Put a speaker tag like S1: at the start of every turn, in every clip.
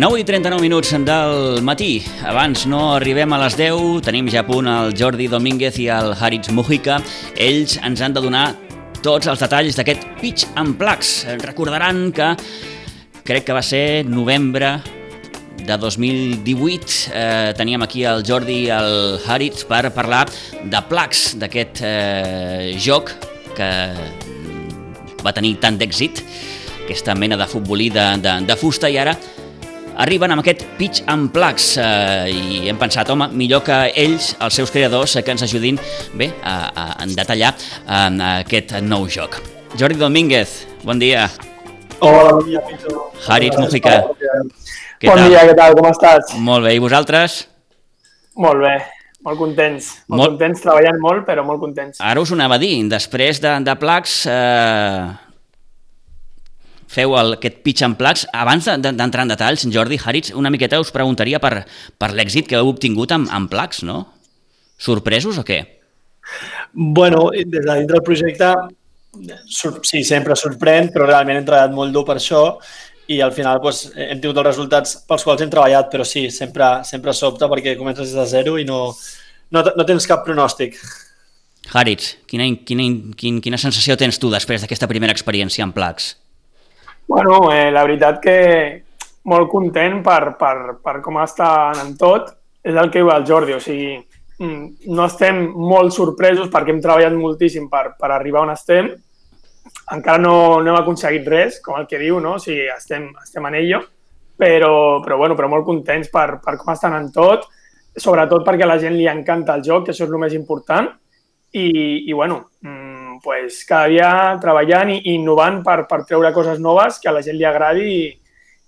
S1: 9:39 del matí. Abans no arribem a les 10, tenim ja a punt el Jordi Domínguez i el Haritz Mujica. Ells ens han de donar tots els detalls d'aquest Pitch and Plugs. Recordaran que crec que va ser novembre de 2018. Teníem aquí el Jordi i el Haritz per parlar de Plugs, d'aquest joc que va tenir tant d'èxit, aquesta mena de futbolí de fusta, i ara arriben amb aquest Pitch and Plugs i hem pensat, home, millor que ells, els seus creadors, que ens ajudin bé a detallar aquest nou joc. Jordi Domínguez, bon dia.
S2: Hola, bon dia, Pito.
S1: Haritz Mujica.
S2: Bon dia, què tal? Com estàs?
S1: Molt bé, i vosaltres?
S2: Molt bé, molt contents. Molt contents, treballant molt, però molt contents.
S1: Ara us ho anava a dir, després de Plugs feu aquest Pitch and Plugs. Abans d'entrar en detalls, Jordi, Haritz, una miqueta us preguntaria per l'èxit que heu obtingut amb Plugs, no? Sorpresos o què?
S2: Bueno, des de dintre del projecte, sí, sempre sorprèn, però realment hem treballat molt dur per això i al final hem tingut els resultats pels quals hem treballat, però sí, sempre sobta perquè comences des de zero i no tens cap pronòstic.
S1: Haritz, quina sensació tens tu després d'aquesta primera experiència amb Plugs?
S2: Bueno, la veritat que molt content per com està anant tot. És el que diu el Jordi, o sigui, no estem molt sorpresos perquè hem treballat moltíssim per arribar on estem. Encara no hem aconseguit res, com el que diu, no? O sigui, estem en ello, però molt contents per com està anant tot, sobretot perquè a la gent li encanta el joc, que això és el més important, i bueno, pues cada dia treballant i innovant per treure coses noves que a la gent li agradi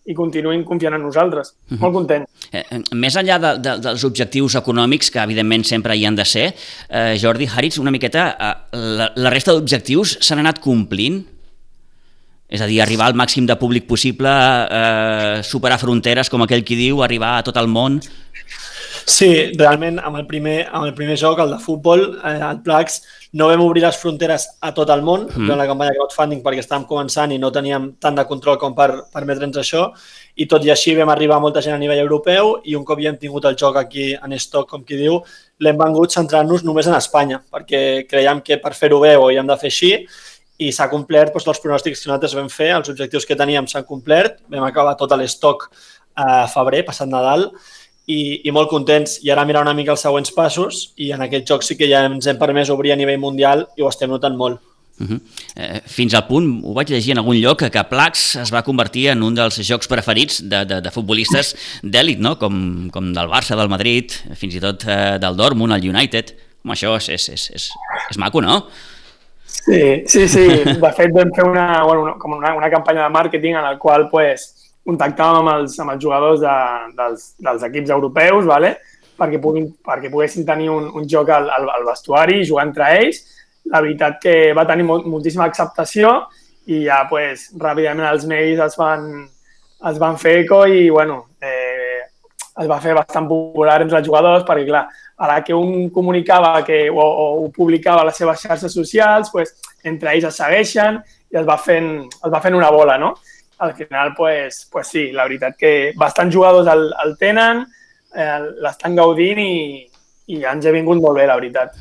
S2: i continuïn confiant en nosaltres. Molt content.
S1: Més enllà dels objectius econòmics, que evidentment sempre hi han de ser, Jordi, Haritz, una miqueta, la resta d'objectius s'han anat complint? És a dir, arribar al màxim de públic possible, superar fronteres, com aquell qui diu, arribar a tot el món?
S2: Sí, realment amb el primer joc, el de futbol, el Plugs, no vam obrir les fronteres a tot el món, durant la campanya de crowdfunding, perquè estàvem començant i no teníem tant de control com per permetre'ns això, i tot i així vam arribar a molta gent a nivell europeu i un cop ja hem tingut el joc aquí en stock, com qui diu, l'hem vengut centrant-nos només en Espanya, perquè creiem que per fer-ho bé ho havíem de fer així i s'ha complert els pronòstics que nosaltres vam fer, els objectius que teníem s'han complert, vam acabar tot l'estoc a febrer, passat Nadal, i molt contents. I ara mirar una mica els següents passos i en aquest joc sí que ja ens hem permès obrir a nivell mundial i ho estem notant molt.
S1: Fins al punt, ho vaig llegir en algun lloc, que Plugs es va convertir en un dels jocs preferits de futbolistes d'èlit, no? Com del Barça, del Madrid, fins i tot del Dortmund, el United. Home, això és maco, no?
S2: Sí. De fet, vam fer una campanya de màrqueting en la qual contactàvem amb els jugadors dels equips europeus, perquè poguessin tenir un joc al vestuari i jugar entre ells. La veritat que va tenir moltíssima acceptació i ja ràpidament els mails es van fer eco i es va fer bastant popular entre els jugadors perquè, clar, a la que un comunicava o publicava a les seves xarxes socials, entre ells es segueixen i es va fent una bola, no? Al final, sí, la veritat que bastants jugadors el tenen, l'estan gaudint i ens ha vingut molt bé, la veritat.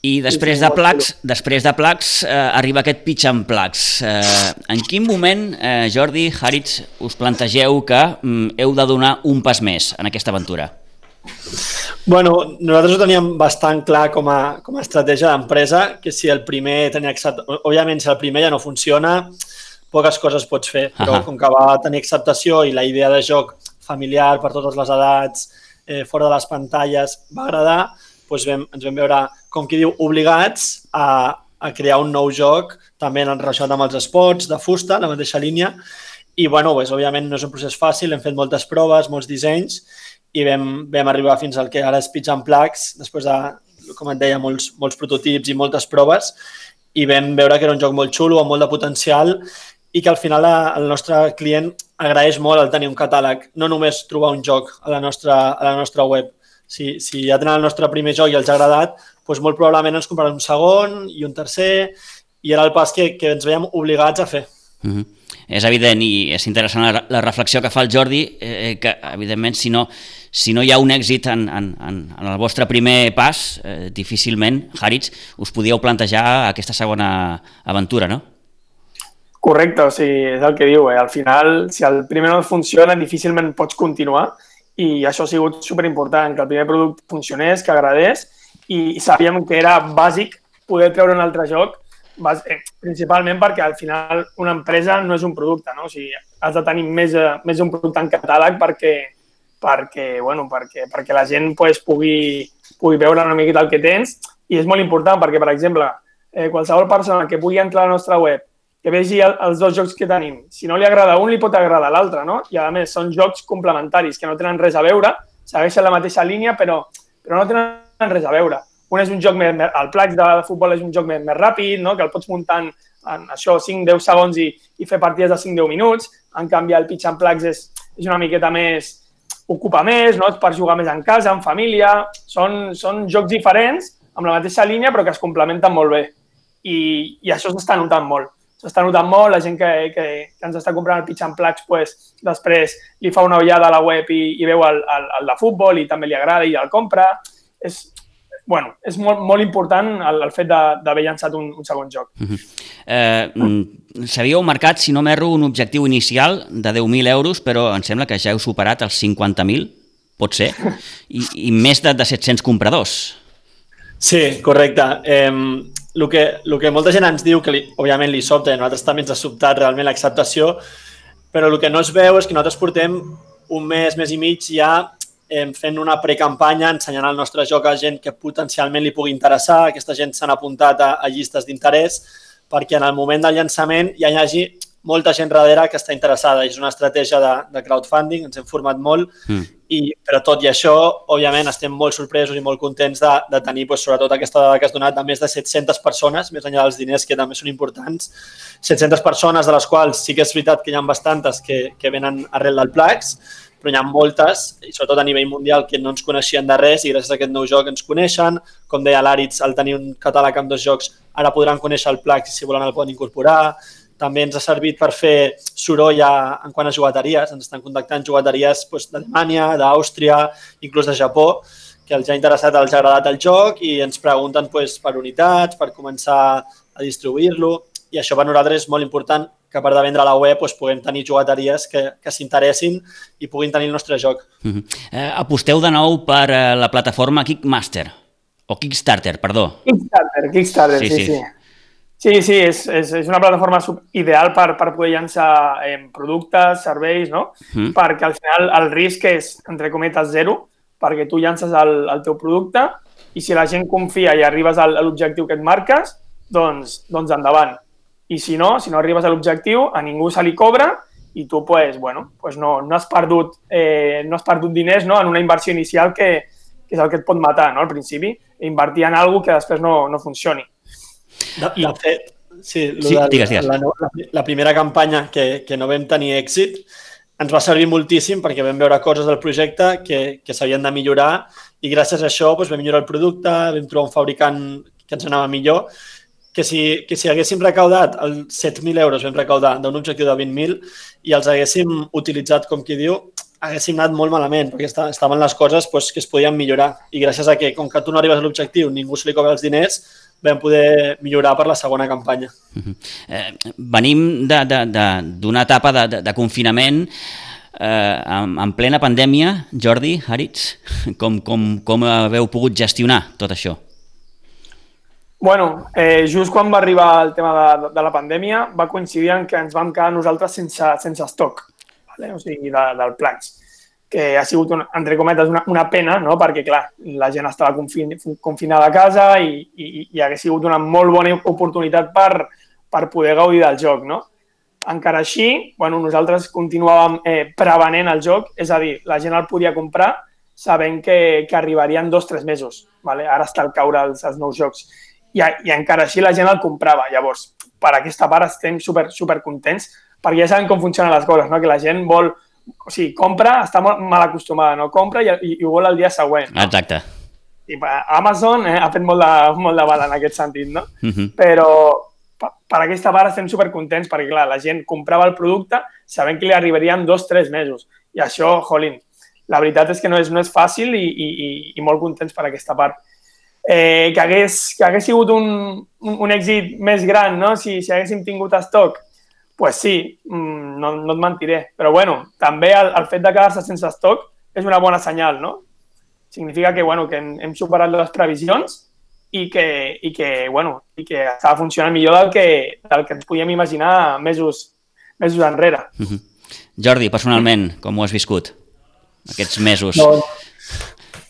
S1: I després de Plugs arriba aquest Pitch and Plugs. En quin moment, Jordi, Haritz, us plantegeu que heu de donar un pas més en aquesta aventura?
S2: Bueno, nosaltres ho teníem bastant clar com a estratègia d'empresa, que si el primer tenia acceptació, òbviament si el primer ja no funciona, poques coses pots fer, però com que va tenir acceptació i la idea de joc familiar per totes les edats, fora de les pantalles, va agradar, ens vam veure, com qui diu, obligats a crear un nou joc, també relacionat amb els esports, de fusta, la mateixa línia, i, òbviament no és un procés fàcil, hem fet moltes proves, molts dissenys, i vam arribar fins al que ara és Pitch and Plugs, després de, com et deia, molts prototips i moltes proves, i vam veure que era un joc molt xulo, amb molt de potencial, i que al final el nostre client agraeix molt el tenir un catàleg, no només trobar un joc a la nostra web. Si ja tenen el nostre primer joc i els ha agradat, molt probablement ens compraran un segon i un tercer, i era el pas que ens veiem obligats a fer.
S1: és evident i és interessant la reflexió que fa el Jordi, que evidentment si no hi ha un èxit en el vostre primer pas, difícilment, Haritz, us podíeu plantejar aquesta segona aventura, no?
S3: Correcte, o sigui, és el que diu. Al final, si el primer no funciona, difícilment pots continuar i això ha sigut superimportant, que el primer producte funcionés, que agradés i sabíem que era bàsic poder treure un altre joc, principalment perquè al final una empresa no és un producte, no? O sigui, has de tenir més un producte en catàleg perquè la gent pugui veure una miqueta el que tens i és molt important perquè, per exemple, qualsevol persona que pugui entrar a la nostra web que vegi els dos jocs que tenim. Si no li agrada un, li pot agradar l'altre, no? I a més són jocs complementaris que no tenen res a veure, segueixen la mateixa línia però no tenen res a veure. Un és un joc el Plax de futbol és un joc més ràpid, no? Que el pots muntar en això 5-10 segons i fer partides de 5-10 minuts. En canvi, el Pitch and Plax és una miqueta més, ocupa més, no? Per jugar més en casa, en família. Són jocs diferents, amb la mateixa línia, però que es complementen molt bé. I això s'està notant molt. S'està notant molt, la gent que ens està comprant el Pitch and Plax, després li fa una ullada a la web i veu el de futbol i també li agrada i el compra. És molt important el fet d'haver llançat un segon joc.
S1: S'havíeu marcat, si no m'erro, un objectiu inicial de 10.000 euros, però em sembla que ja heu superat els 50.000, pot ser, i més de 700 compradors.
S2: Sí, correcte. El que molta gent ens diu, que òbviament li sobta, i a nosaltres també ens ha sobtat realment l'acceptació, però el que no es veu és que nosaltres portem un mes i mig ja fent una precampanya, ensenyant el nostre joc a gent que potencialment li pugui interessar. Aquesta gent s'han apuntat a llistes d'interès perquè en el moment del llançament hi hagi molta gent darrere que està interessada. És una estratègia de crowdfunding, ens hem format molt, però tot i això, òbviament, estem molt sorpresos i molt contents de tenir sobretot aquesta dada que has donat de més de 700 persones, més enllà dels diners que també són importants, 700 persones de les quals sí que és veritat que hi ha bastantes que venen arrel del Plax, però hi ha moltes, i sobretot a nivell mundial, que no ens coneixien de res i gràcies a aquest nou joc ens coneixen. Com deia l'Aritz, al tenir un catàleg amb 2 jocs, ara podran conèixer el Plax i si volen el poden incorporar. També ens ha servit per fer soroll en quant a jugateries. Ens estan contactant jugateries d'Alemanya, d'Àustria, inclús de Japó, que els ha interessat, els ha agradat el joc i ens pregunten per unitats, per començar a distribuir-lo. I això per nosaltres és molt important, que a part de vendre a la web puguem tenir jugateries que s'interessin i puguin tenir el nostre joc.
S1: Aposteu de nou per la plataforma Kickstarter, perdó.
S3: Kickstarter, sí. Sí, és una plataforma ideal per poder llançar productes, serveis, no? Perquè al final el risc és, entre cometes, zero, perquè tu llances el teu producte i si la gent confia i arribes a l'objectiu que et marques, doncs endavant. I si no arribes a l'objectiu, a ningú se li cobra i tu no has perdut diners, no? En una inversió inicial que és el que et pot matar, no? Al principi, invertir en alguna cosa que després no funcioni.
S2: De fet, sí,
S1: digues.
S2: La primera campanya que no vam tenir èxit ens va servir moltíssim perquè vam veure coses del projecte que s'havien de millorar i gràcies a això vam millorar el producte, vam trobar un fabricant que ens anava millor, que si haguéssim recaudat els 7.000 euros, vam recaudar d'un objectiu de 20.000 i els haguéssim utilitzat, com qui diu, haguéssim anat molt malament perquè estaven les coses que es podien millorar i gràcies a que, com que tu no arribes a l'objectiu, ningú se li cobra els diners, vam poder millorar per la segona campanya.
S1: Venim d'una etapa de confinament en plena pandèmia. Jordi, Haritz, com haveu pogut gestionar tot això?
S3: Just quan va arribar el tema de la pandèmia va coincidir en que ens vam quedar nosaltres sense estoc, o sigui, del Plax, que ha sigut, entre cometes, una pena, no? Perquè, clar, la gent estava confinada a casa i hauria sigut una molt bona oportunitat per poder gaudir del joc, no? Encara així, nosaltres continuàvem prevenent el joc, és a dir, la gent el podia comprar sabent que arribarien 2-3 mesos. Ara està al caure els nous jocs. I encara així la gent el comprava. Llavors, per aquesta part estem super contents perquè ja sabem com funcionen les coses, no? Que la gent vol... O sigui, compra, està molt mal acostumada, no? Compra i ho vol el dia següent. No?
S1: Exacte.
S3: I Amazon ha fet molt de mal en aquest sentit, no? Però per aquesta part estem supercontents perquè, clar, la gent comprava el producte sabent que li arribaria en 2-3 mesos. I això, jolín, la veritat és que no és fàcil i molt contents per aquesta part. Que hagués sigut un èxit més gran, no? Si haguéssim tingut estoc, pues sí, no et mentiré. Però, bueno, també el fet de quedar-se sense estoc és una bona senyal, no? Significa que hem superat les previsions i que estava funcionant millor del que ens podíem imaginar mesos enrere.
S1: Jordi, personalment, com ho has viscut aquests mesos?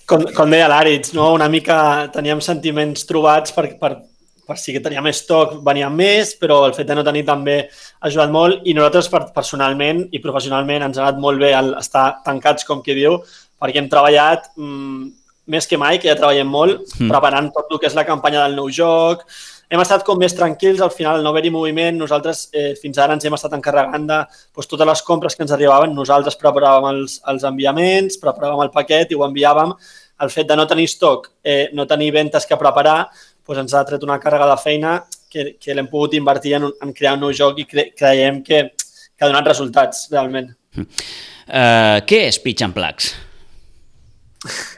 S2: Com deia l'Àritz, no? Una mica teníem sentiments trobats per si que teníem estoc, veníem més, però el fet de no tenir també ha ajudat molt i nosaltres personalment i professionalment ens ha anat molt bé estar tancats, com qui diu, perquè hem treballat més que mai, que ja treballem molt, preparant tot el que és la campanya del nou joc. Hem estat com més tranquils, al final no haver-hi moviment. Nosaltres fins ara ens hem estat encarregant de totes les compres que ens arribaven. Nosaltres preparàvem els enviaments, preparàvem el paquet i ho enviàvem. El fet de no tenir estoc, no tenir ventes que preparar, ens ha tret una càrrega de feina que l'hem pogut invertir en crear un nou joc i creiem que ha donat resultats, realment.
S1: Què és Pitch and Plugs?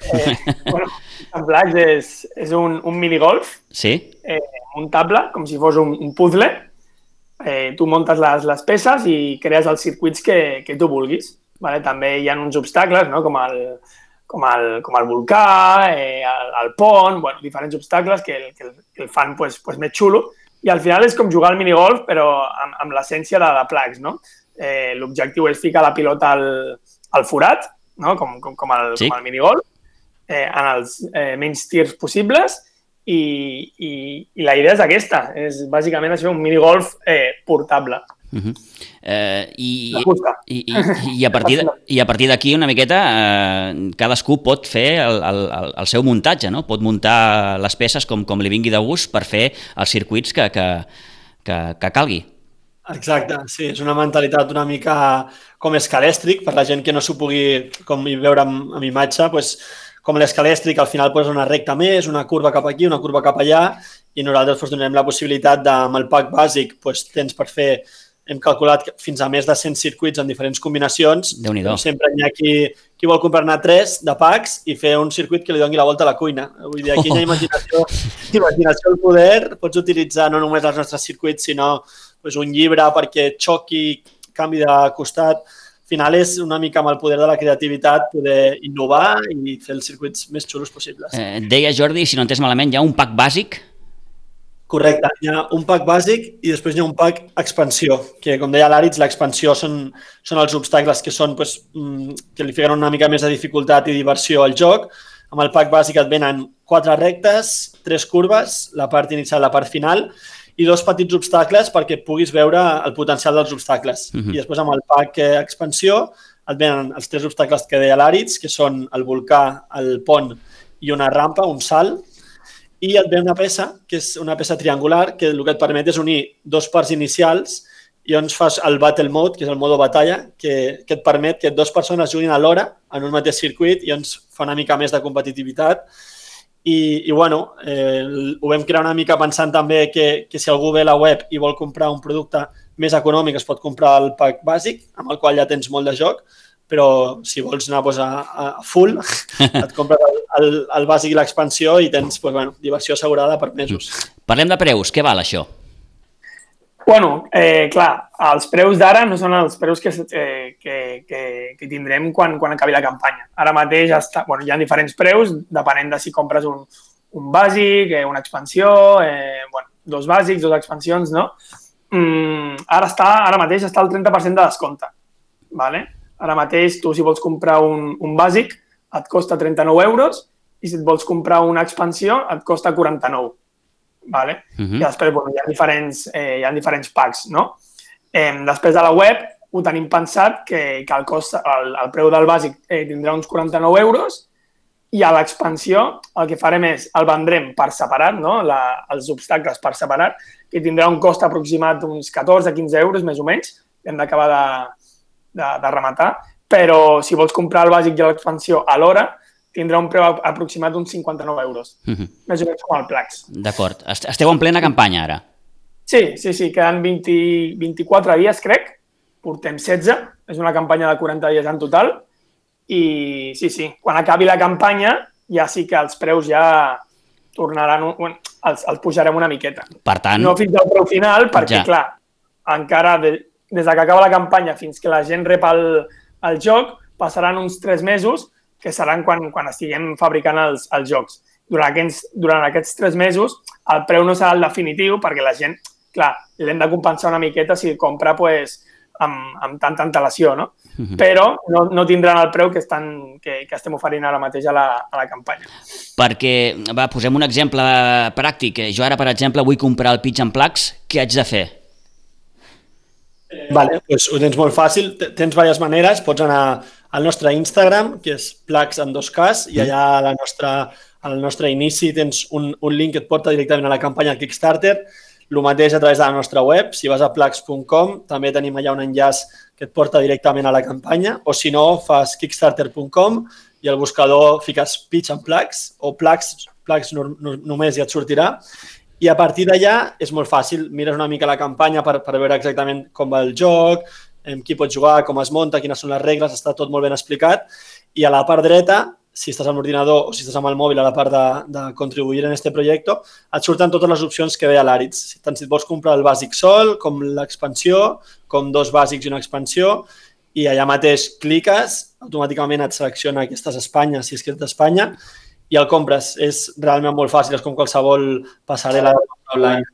S3: Pitch and Plugs és un minigolf, muntable, com si fos un puzzle. Tu muntes les peces i crees els circuits que tu vulguis. També hi ha uns obstacles, com el volcà, el pont, diferents obstacles que el fan més xulo. I al final és com jugar al minigolf, però amb l'essència de Plugs. L'objectiu és ficar la pilota al forat, com el minigolf, en els menys tirs possibles, i la idea és aquesta, és bàsicament això, un minigolf portable.
S1: I a partir d'aquí una miqueta cadascú pot fer el seu muntatge, no? Pot muntar les peces com li vingui de gust per fer els circuits que calgui.
S2: Exacte, sí, és una mentalitat una mica com escalèstric, per la gent que no s'ho pugui com veure amb imatge, com l'escalèstric al final és una recta més, una curva cap aquí, una curva cap allà, i nosaltres donem la possibilitat amb el pack bàsic tens per fer, hem calculat fins a més de 100 circuits en diferents combinacions.
S1: Déu-n'hi-do.
S2: Sempre hi ha qui vol comprar-ne 3 de packs i fer un circuit que li doni la volta a la cuina. Vull dir, aquí hi ha imaginació al poder, pots utilitzar no només els nostres circuits, sinó un llibre perquè xoqui, canvi de costat. Al final és una mica amb el poder de la creativitat poder innovar i fer els circuits més xulos possibles.
S1: Deia Jordi, si no entès malament, hi ha un pack bàsic?
S2: Correcte, hi ha un pack bàsic i després hi ha un pack expansió, que com deia l'Àritz, l'expansió són els obstacles que li fiquen una mica més de dificultat i diversió al joc. Amb el pack bàsic et venen 4 rectes, 3 curves, la part inicial i la part final, i 2 petits obstacles perquè puguis veure el potencial dels obstacles. I després amb el pack expansió et venen els 3 obstacles que deia l'Àritz, que són el volcà, el pont i una rampa, un salt, i et ve una peça, que és una peça triangular, que el que et permet és unir 2 parts inicials i llavors fas el Battle Mode, que és el modo batalla, que et permet que 2 persones juguin alhora en un mateix circuit i llavors fa una mica més de competitivitat. I ho vam crear una mica pensant també que si algú ve a la web i vol comprar un producte més econòmic es pot comprar el pack bàsic, amb el qual ja tens molt de joc, però si vols anar a full, et compres el bàsic i l'expansió i tens diversió assegurada per mesos.
S1: Parlem de preus, què val això?
S3: Clar, els preus d'ara no són els preus que tindrem quan acabi la campanya. Ara mateix hi ha diferents preus, depenent de si compres un bàsic, una expansió, 2 bàsics, 2 expansions, no? Ara mateix està al 30% de descompte. Ara mateix tu si vols comprar un bàsic et costa 39 euros i si et vols comprar una expansió et costa 49. I després hi ha diferents packs, no? Després de la web ho tenim pensat que el preu del bàsic tindrà uns 49 euros i a l'expansió el que farem és el vendrem per separat, no? Els obstacles per separat, que tindrà un cost aproximat d'uns 14-15 euros més o menys, hem d'acabar de rematar, però si vols comprar el bàsic i l'expansió alhora tindrà un preu aproximat d'uns 59 euros, més o menys com el Plugs.
S1: D'acord. Esteu en plena campanya ara?
S3: Sí, queden 24 dies, crec. Portem 16, és una campanya de 40 dies en total. I sí, quan acabi la campanya ja sí que els preus ja tornaran, els pujarem una miqueta.
S1: Per tant...
S3: No fins al preu final, perquè, clar, encara des que acaba la campanya fins que la gent rep el joc, passaran uns 3 mesos, que seran quan estiguem fabricant els jocs. Durant aquests 3 mesos, el preu no serà el definitiu, perquè la gent, clar, l'hem de compensar una miqueta si compra amb tanta antelació, no? Però no tindran el preu que estem oferint ara mateix a la campanya.
S1: Perquè, posem un exemple pràctic. Jo ara, per exemple, vull comprar el Pitch and Plugs. Què haig de fer?
S2: Vale, doncs ho tens molt fàcil. Tens diverses maneres. Pots anar al nostre Instagram, que és Plugs amb 2Ks, i allà al nostre inici tens un link que et porta directament a la campanya del Kickstarter. El mateix a través de la nostra web. Si vas a plugs.com, també tenim allà un enllaç que et porta directament a la campanya, o si no, fas kickstarter.com i al buscador fiques Pitch and Plugs o Plugs només i et sortirà. I a partir d'allà és molt fàcil. Mires una mica la campanya per veure exactament com va el joc, qui pot jugar, com es munta, quines són les regles, està tot molt ben explicat. I a la part dreta, si estàs amb l'ordinador o si estàs amb el mòbil a la part de contribuir en este projecte, et surten totes les opcions que deia l'Àritz. Tant si et vols comprar el bàsic sol, com l'expansió, com 2 bàsics i una expansió, i allà mateix cliques, automàticament et selecciona que estàs a Espanya, si és que ets d'Espanya, i el compres. És realment molt fàcil, és com qualsevol passarel·la online.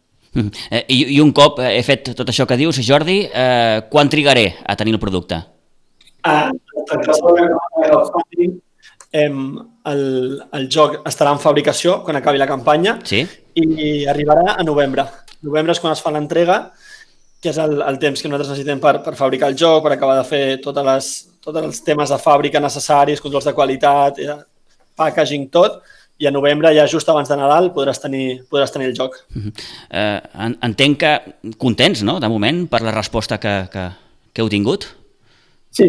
S1: I un cop he fet tot això que dius, Jordi, quan trigaré a tenir el producte?
S2: El joc estarà en fabricació quan acabi la campanya i arribarà a novembre. Novembre és quan es fa l'entrega, que és el temps que nosaltres necessitem per fabricar el joc, per acabar de fer tots els temes de fàbrica necessaris, controls de qualitat, packaging, tot, i a novembre, ja just abans de Nadal, podràs tenir el joc.
S1: Entenc que contents, no?, de moment, per la resposta que heu tingut?
S3: Sí,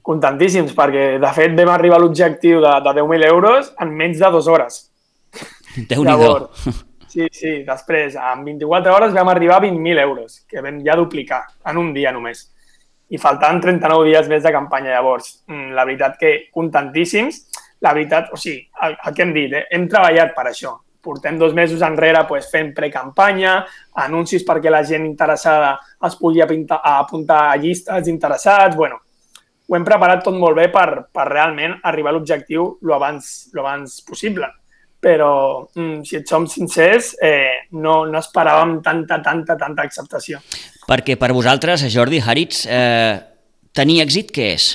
S3: contentíssims, perquè de fet vam arribar a l'objectiu de 10.000 euros en menys de 2 hores.
S1: Déu-n'hi-do.
S3: Sí, després, en 24 hores vam arribar a 20.000 euros, que vam ja duplicar en un dia només. I faltaven 39 dies més de campanya. Llavors, la veritat que contentíssims. La veritat, o sigui, el que hem dit, hem treballat per això. Portem 2 mesos enrere fent precampanya, anuncis perquè la gent interessada es pugui apuntar a llistes d'interessats. Bueno, ho hem preparat tot molt bé per realment arribar a l'objectiu lo abans possible. Però, si et som sincers, no esperàvem tanta acceptació.
S1: Perquè per vosaltres, Jordi, Àritz, tenir èxit què és?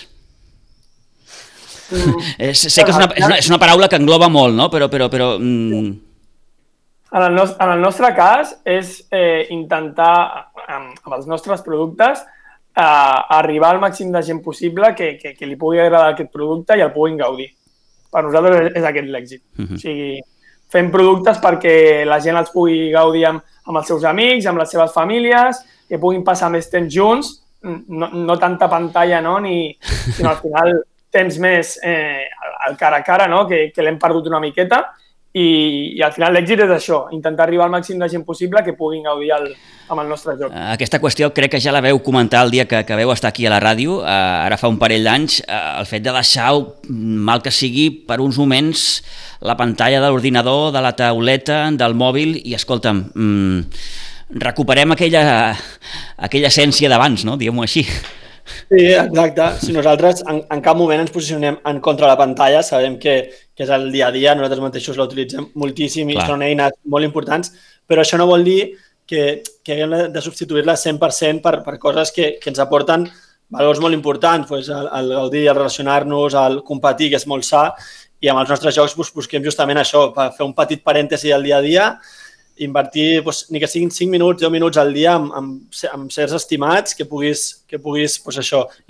S1: Sé que és una paraula que engloba molt, no? Però...
S3: En el nostre cas és intentar, amb els nostres productes, arribar al màxim de gent possible que li pugui agradar aquest producte i el puguin gaudir. Per nosaltres és aquest l'èxit. O sigui, fem productes perquè la gent els pugui gaudir amb els seus amics, amb les seves famílies, que puguin passar més temps junts, no tanta pantalla, no? Sinó al final temps més al cara a cara, no? Que l'hem perdut una miqueta. I al final l'èxit és això, intentar arribar al màxim de gent possible que puguin gaudir amb el nostre joc.
S1: Aquesta qüestió crec que ja la veu comentar el dia que veu estar aquí a la ràdio, ara fa un parell d'anys, el fet de deixar, mal que sigui, per uns moments la pantalla de l'ordinador, de la tauleta, del mòbil i, escolta'm, recuperem aquella essència d'abans, no? Diguem-ho així.
S2: Sí, exacte. Si nosaltres en cap moment ens posicionem en contra de la pantalla, sabem que és el dia a dia, nosaltres mateixos la utilitzem moltíssim i són eines molt importants, però això no vol dir que haguem de substituir-la 100% per coses que ens aporten valors molt importants, el gaudir, el relacionar-nos, el competir, que és molt sa, i amb els nostres jocs busquem justament això, per fer un petit parèntesi al dia a dia, invertir, ni que siguin 5 minuts, 10 minuts al dia amb certs estimats que puguis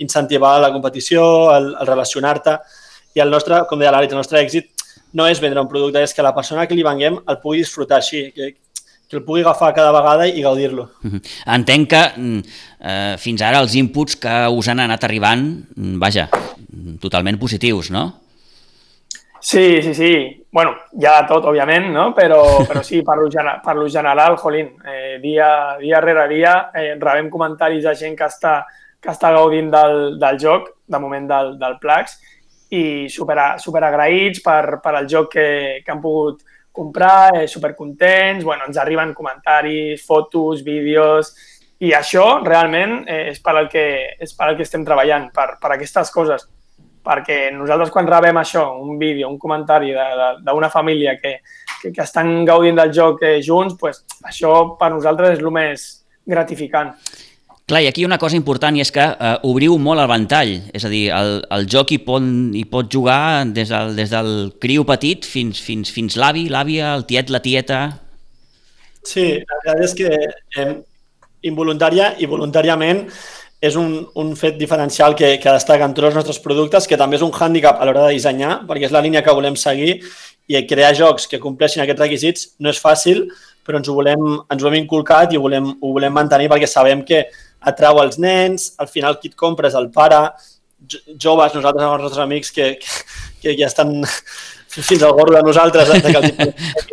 S2: incentivar la competició, el relacionar-te. I el nostre, com deia l'Àritz, el nostre èxit no és vendre un producte, és que la persona que li venguem el pugui disfrutar així, que el pugui agafar cada vegada i gaudir-lo.
S1: Entenc que fins ara els inputs que us han anat arribant, vaja, totalment positius, no?
S3: Sí. Bueno, hi ha de tot, òbviament, no? Però sí, per lo general, jolín, dia rere dia rebem comentaris de gent que està gaudint del joc, de moment del Plax, i super agraïts per el joc que han pogut comprar, supercontents, bueno, ens arriben comentaris, fotos, vídeos, i això realment és per al que estem treballant, per aquestes coses. Perquè nosaltres quan rebem això, un vídeo, un comentari d'una família que estan gaudint del joc junts, pues, això per nosaltres és el més gratificant.
S1: Clar, i aquí una cosa important i és que obriu molt el ventall, és a dir, el joc hi pot jugar des del criu petit fins l'avi, l'àvia, el tiet, la tieta...
S2: Sí, la veritat és que involuntària i voluntàriament és un fet diferencial que destaca en tots els nostres productes, que també és un hàndicap a l'hora de dissenyar, perquè és la línia que volem seguir i crear jocs que compleixin aquests requisits no és fàcil, però ens ho hem inculcat i ho volem mantenir perquè sabem que atrau els nens, al final qui et compra és el pare, joves, nosaltres amb els nostres amics que ja estan fins al gorro de nosaltres, que els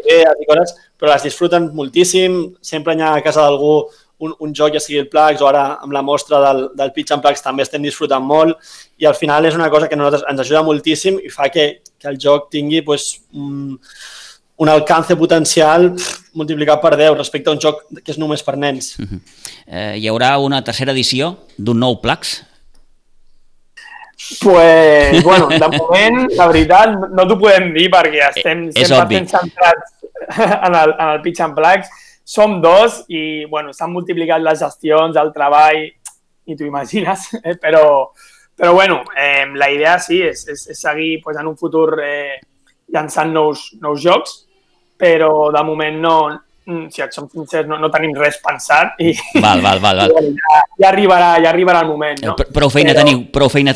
S2: idees i coses, però les disfruten moltíssim, sempre hi ha a casa d'algú un joc, ja sigui el Plax o ara amb la mostra del Pitch and Plax també estem disfrutant molt i al final és una cosa que a nosaltres ens ajuda moltíssim i fa que el joc tingui un alcance potencial multiplicat per 10 respecte a un joc que és només per nens.
S1: Hi haurà una tercera edició d'un nou Plax?
S3: Pues, bueno, de moment, la veritat, no t'ho podem dir perquè estem 100% centrats en el Pitch and Plax. Som dos i, bueno, s'han multiplicat les gestions, el treball, i t'ho imagines, però bueno, la idea sí és seguir pues, en un futur llançant nous jocs, però de moment no, si et som sincers, no tenim res pensat i
S1: val.
S3: ja arribarà el moment. No?
S1: Prou feina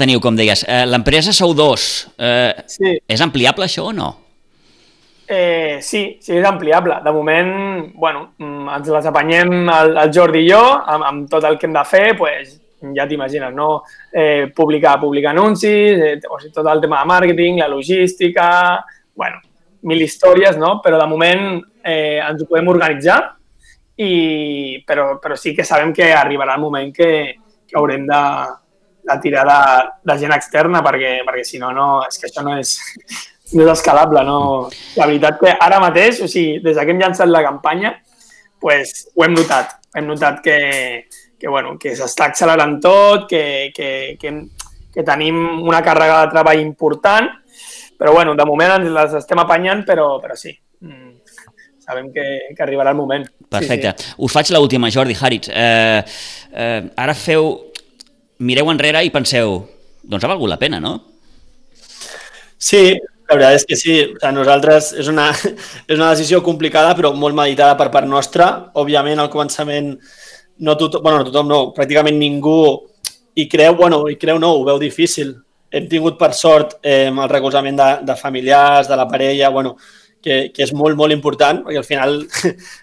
S1: teniu, com deies. L'empresa sou dos. Sí. És ampliable això o no?
S3: Sí, és ampliable. De moment, bueno, ens les apanyem el Jordi i jo, amb tot el que hem de fer, pues, ja t'imagines, no? Publicar anuncis, tot el tema de màrqueting, la logística, bueno, 1000 històries, no? Però de moment ens ho podem organitzar, però sí que sabem que arribarà el moment que haurem de tirar de gent externa, perquè si no, és que això no és escalable, no? La veritat que ara mateix, o sigui, des que hem llançat la campanya, pues, ho hem notat. Hem notat que s'està accelerant tot, que tenim una càrrega de treball important, però bueno, de moment ens les estem apanyant, però sí, sabem que arribarà el moment.
S1: Perfecte. Sí. Us faig l'última, Jordi Haritz. Ara mireu enrere i penseu, doncs ha valgut la pena, no?
S2: Sí, la veritat és que sí. O sigui, nosaltres és una decisió complicada però molt meditada per part nostra. Òbviament, al començament pràcticament ningú hi creu, ho veu difícil. Hem tingut per sort el recolzament de familiars, de la parella, que és molt, molt important, perquè al final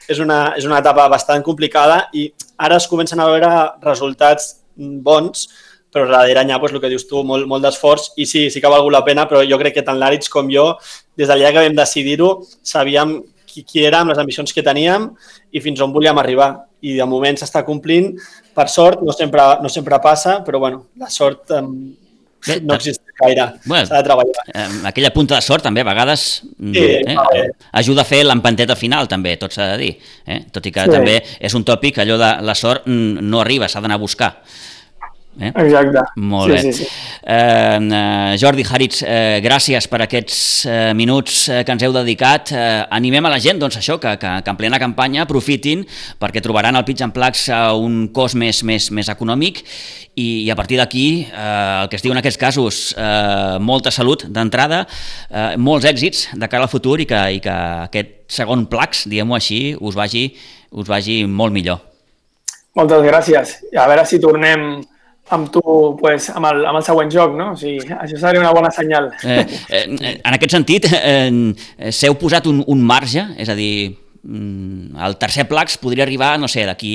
S2: és una etapa bastant complicada i ara es comencen a veure resultats bons, però darrere hi ha el que dius tu, molt d'esforç i sí que ha valgut la pena, però jo crec que tant l'Àritz com jo, des del dia que vam decidir-ho, sabíem qui érem, les ambicions que teníem i fins on volíem arribar. I de moment s'està complint, per sort, no sempre passa, però la sort no existeix gaire, s'ha de treballar.
S1: Aquella punta de sort també a vegades ajuda a fer l'empanteta final també, tot s'ha de dir. Tot i que també és un tòpic, allò de la sort no arriba, s'ha d'anar a buscar.
S3: Exacte.
S1: Molt bé. Sí. Jordi Haritz, gràcies per aquests minuts que ens heu dedicat. Animem a la gent, doncs això, que en plena campanya aprofitin perquè trobaran el Pitch and Plax a un cost més econòmic i a partir d'aquí, el que es diu en aquests casos, molta salut d'entrada, molts èxits de cara al futur i que aquest segon Plax, diguem-ho així, us vagi molt millor.
S3: Moltes gràcies. A veure si tornem amb tu amb el següent joc, no? O sigui, això seria una bona senyal.
S1: En aquest sentit, s'heu posat un marge? És a dir, el tercer Plax podria arribar, no sé, d'aquí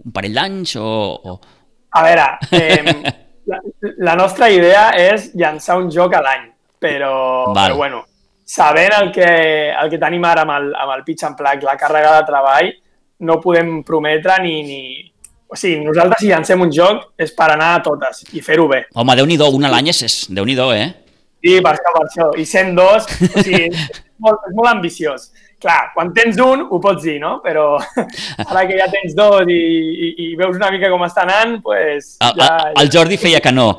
S1: un parell d'anys o...
S3: A veure, la nostra idea és llançar un joc a l'any, però bueno, sabent el que tenim ara amb el pitch and plug, la càrrega de treball, no podem prometre ni... O sigui, nosaltres si llancem un joc és per anar a totes i fer-ho bé.
S1: Home, Déu-n'hi-do, una a l'any és Déu-n'hi-do, eh?
S3: Sí, per això. I 102, o sigui, és molt ambiciós. Clar, quan tens un ho pots dir, no? Però ara que ja tens dos i veus una mica com està anant, doncs...
S1: El Jordi feia que no,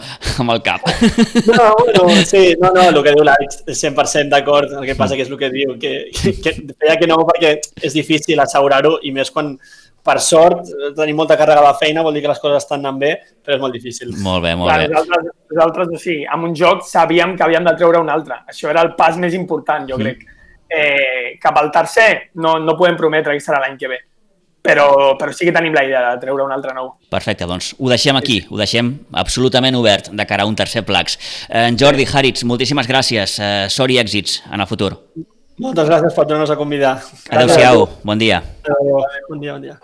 S1: amb el cap.
S2: No, sí, el que diu l'Àlex, 100% d'acord, el que passa que és el que diu, que feia que no perquè és difícil assegurar-ho i més quan, per sort, tenim molta càrrega de feina, vol dir que les coses estan anant bé, però és molt difícil.
S1: Molt bé.
S3: Nosaltres, o sigui, amb un joc sabíem que havíem de treure un altre. Això era el pas més important, jo crec. Cap al tercer no podem prometre que serà l'any que ve, però sí que tenim la idea de treure un altre nou.
S1: Perfecte, doncs ho deixem aquí, ho deixem absolutament obert de cara a un tercer Plax. Jordi, Haritz, moltíssimes gràcies, sort i èxits en el futur.
S2: Moltes gràcies per tornar-nos a convidar.
S1: Adéu-siau, bon dia.
S2: Bon dia.